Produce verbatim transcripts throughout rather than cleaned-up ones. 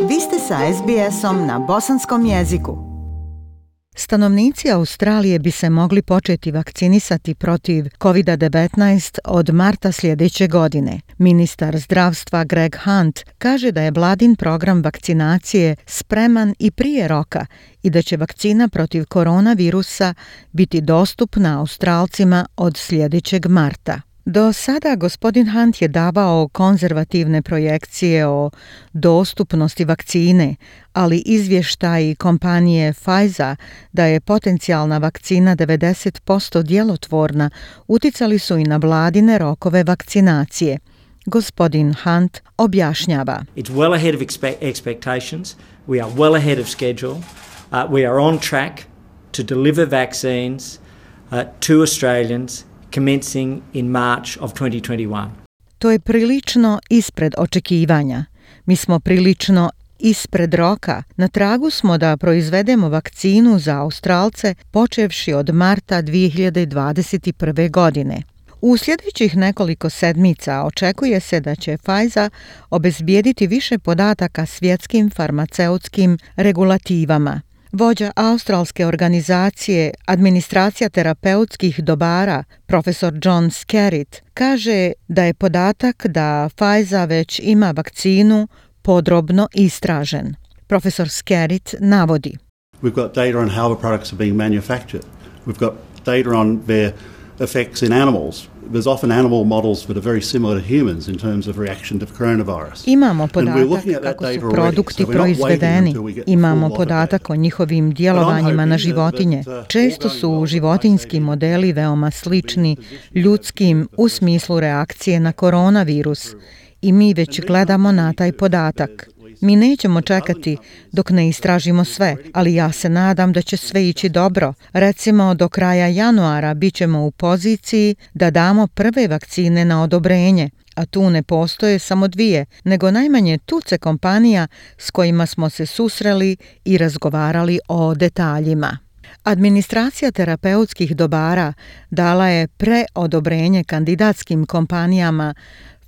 Vi ste sa es be esom na bosanskom jeziku. Stanovnici Australije bi se mogli početi vakcinisati protiv kovid devetnaest od marta sljedeće godine. Ministar zdravstva Greg Hunt kaže da je vladin program vakcinacije spreman i prije roka i da će vakcina protiv koronavirusa biti dostupna Australcima od sljedećeg marta. Do sada gospodin Hunt je davao konzervativne projekcije o dostupnosti vakcine, ali izvještaji kompanije Pfizer da je potencijalna vakcina devedeset posto djelotvorna uticali su i na vladine rokove vakcinacije. Gospodin Hunt objašnjava. It's well ahead of expe- expectations. We are well ahead of schedule. Uh, we are on track to deliver vaccines uh, to Australians commencing in March of twenty twenty-one. To je prilično ispred očekivanja. Mi smo prilično ispred roka. Na tragu smo da proizvedemo vakcinu za Australce počevši od marta dvije hiljade dvadeset prve. godine. U sljedećih nekoliko sedmica očekuje se da će Pfizer obezbijediti više podataka svjetskim farmaceutskim regulativama. Vođa australske organizacije Administracija terapeutskih dobara, profesor John Skerritt, kaže da je podatak da Pfizer već ima vakcinu podrobno istražen. Profesor Skerritt navodi. We've got data on how the products are being manufactured. We've got data on their effects in animals. There's often animal models that are very similar to humans in terms of reaction to the coronavirus. Imamo podatak kako su produkti proizvedeni. Imamo podatak o njihovim djelovanjima na životinje. Često su životinjski modeli veoma slični ljudskim u smislu reakcije na koronavirus i mi već gledamo na taj podatak. Mi nećemo čekati dok ne istražimo sve, ali ja se nadam da će sve ići dobro. Recimo, do kraja januara bit ćemo u poziciji da damo prve vakcine na odobrenje, a tu ne postoje samo dvije, nego najmanje tuce kompanija s kojima smo se susreli i razgovarali o detaljima. Administracija terapeutskih dobara dala je preodobrenje kandidatskim kompanijama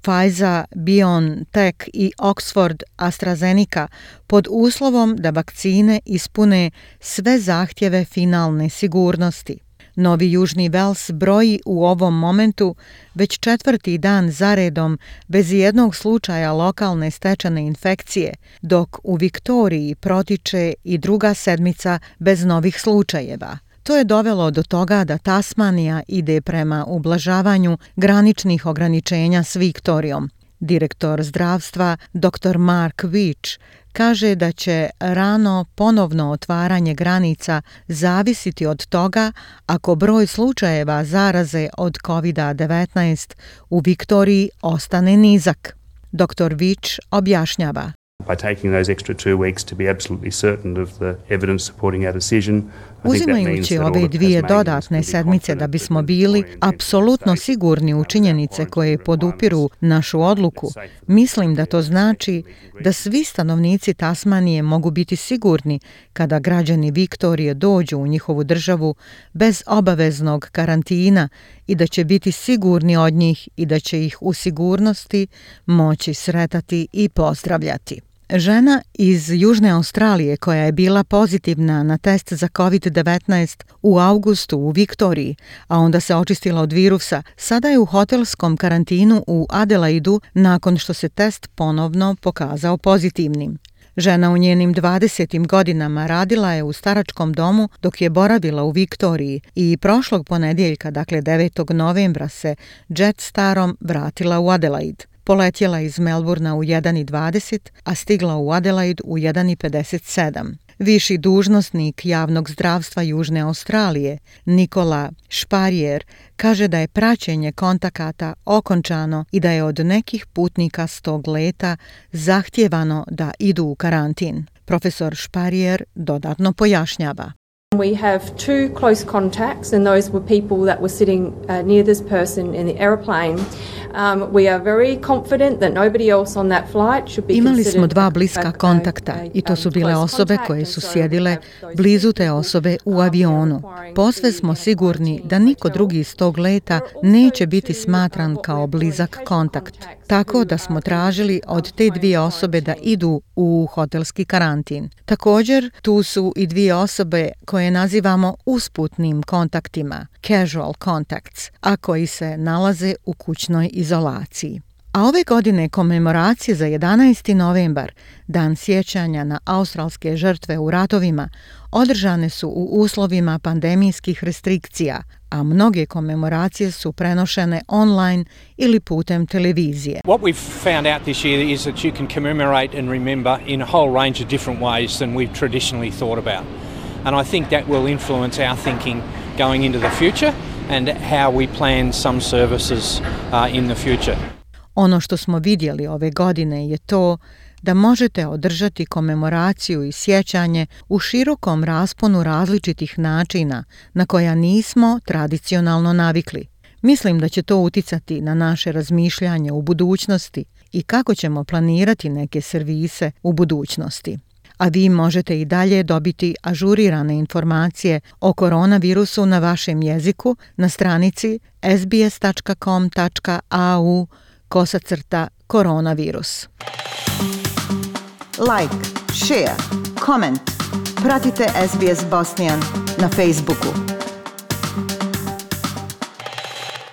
Pfizer, BioNTech i Oxford AstraZeneca pod uslovom da vakcine ispune sve zahtjeve finalne sigurnosti. Novi Južni Vels broji u ovom momentu već četvrti dan zaredom bez jednog slučaja lokalne stečene infekcije, dok u Viktoriji protiče i druga sedmica bez novih slučajeva. To je dovelo do toga da Tasmanija ide prema ublažavanju graničnih ograničenja s Viktorijom. Direktor zdravstva doktor Mark Veitch kaže da će rano ponovno otvaranje granica zavisiti od toga ako broj slučajeva zaraze od kovid devetnaest u Viktoriji ostane nizak. doktor Veitch objašnjava. By taking those extra two weeks to be absolutely certain of the evidence supporting our decision. Uzimajući ove dvije dodatne sedmice da bismo bili apsolutno sigurni u činjenice koje podupiru našu odluku, mislim da to znači da svi stanovnici Tasmanije mogu biti sigurni kada građani Viktorije dođu u njihovu državu bez obaveznog karantina i da će biti sigurni od njih i da će ih u sigurnosti moći sretati i pozdravljati. Žena iz Južne Australije koja je bila pozitivna na test za kovid devetnaest u avgustu u Viktoriji, a onda se očistila od virusa, sada je u hotelskom karantinu u Adelaidu nakon što se test ponovno pokazao pozitivnim. Žena u njenim dvadesetim godinama radila je u staračkom domu dok je boravila u Viktoriji i prošlog ponedjeljka, dakle devetog novembra, se Jetstarom vratila u Adelaide. Poletjela iz Melburna u jedan i dvadeset, a stigla u Adelaide u jedan i pedeset sedam. Viši dužnosnik javnog zdravstva Južne Australije, Nikola Šparjer, kaže da je praćenje kontakata okončano i da je od nekih putnika s tog leta zahtijevano da idu u karantin. Profesor Šparjer dodatno pojašnjava. We have two close contacts, and those were people that were sitting uh, near this person in the aeroplane. Um, we are very confident that nobody else on that flight should be Imali considered smo dva a- bliska a- kontakta a- i to su um, bile close osobe contact, koje and su so sjedile we have those blizu te people, osobe u um, we are avionu. requiring Posve to smo be sigurni da quarantined niko hotel. drugi iz tog leta There are neće also biti two, uh, smatran what kao we're blizak calling kontakt. contacts Tako who da are smo in tražili od te unplanned dvije osobe da quarantine. idu u hotelski karantin. Također, tu su i dvije osobe koje nazivamo usputnim kontaktima, casual contacts, a koji se nalaze u kućnoj izolaciji. A ove godine komemoracije za jedanaesti novembar, dan sjećanja na australske žrtve u ratovima, održane su u uslovima pandemijskih restrikcija, a mnoge komemoracije su prenošene online ili putem televizije. What we've found out this year is that you can commemorate and remember in a whole range of different ways than we've traditionally thought about. And I think that will influence our thinking going into the future and how we plan some services uh, in the future. Ono što smo vidjeli ove godine je to da možete održati komemoraciju i sjećanje u širokom rasponu različitih načina na koja nismo tradicionalno navikli. Mislim da će to uticati na naše razmišljanje u budućnosti i kako ćemo planirati neke servise u budućnosti. A vi možete i dalje dobiti ažurirane informacije o koronavirusu na vašem jeziku na stranici sbs.com.au kosacrta koronavirus. Like, share, comment. Pratite S B S Bosnian na Facebooku.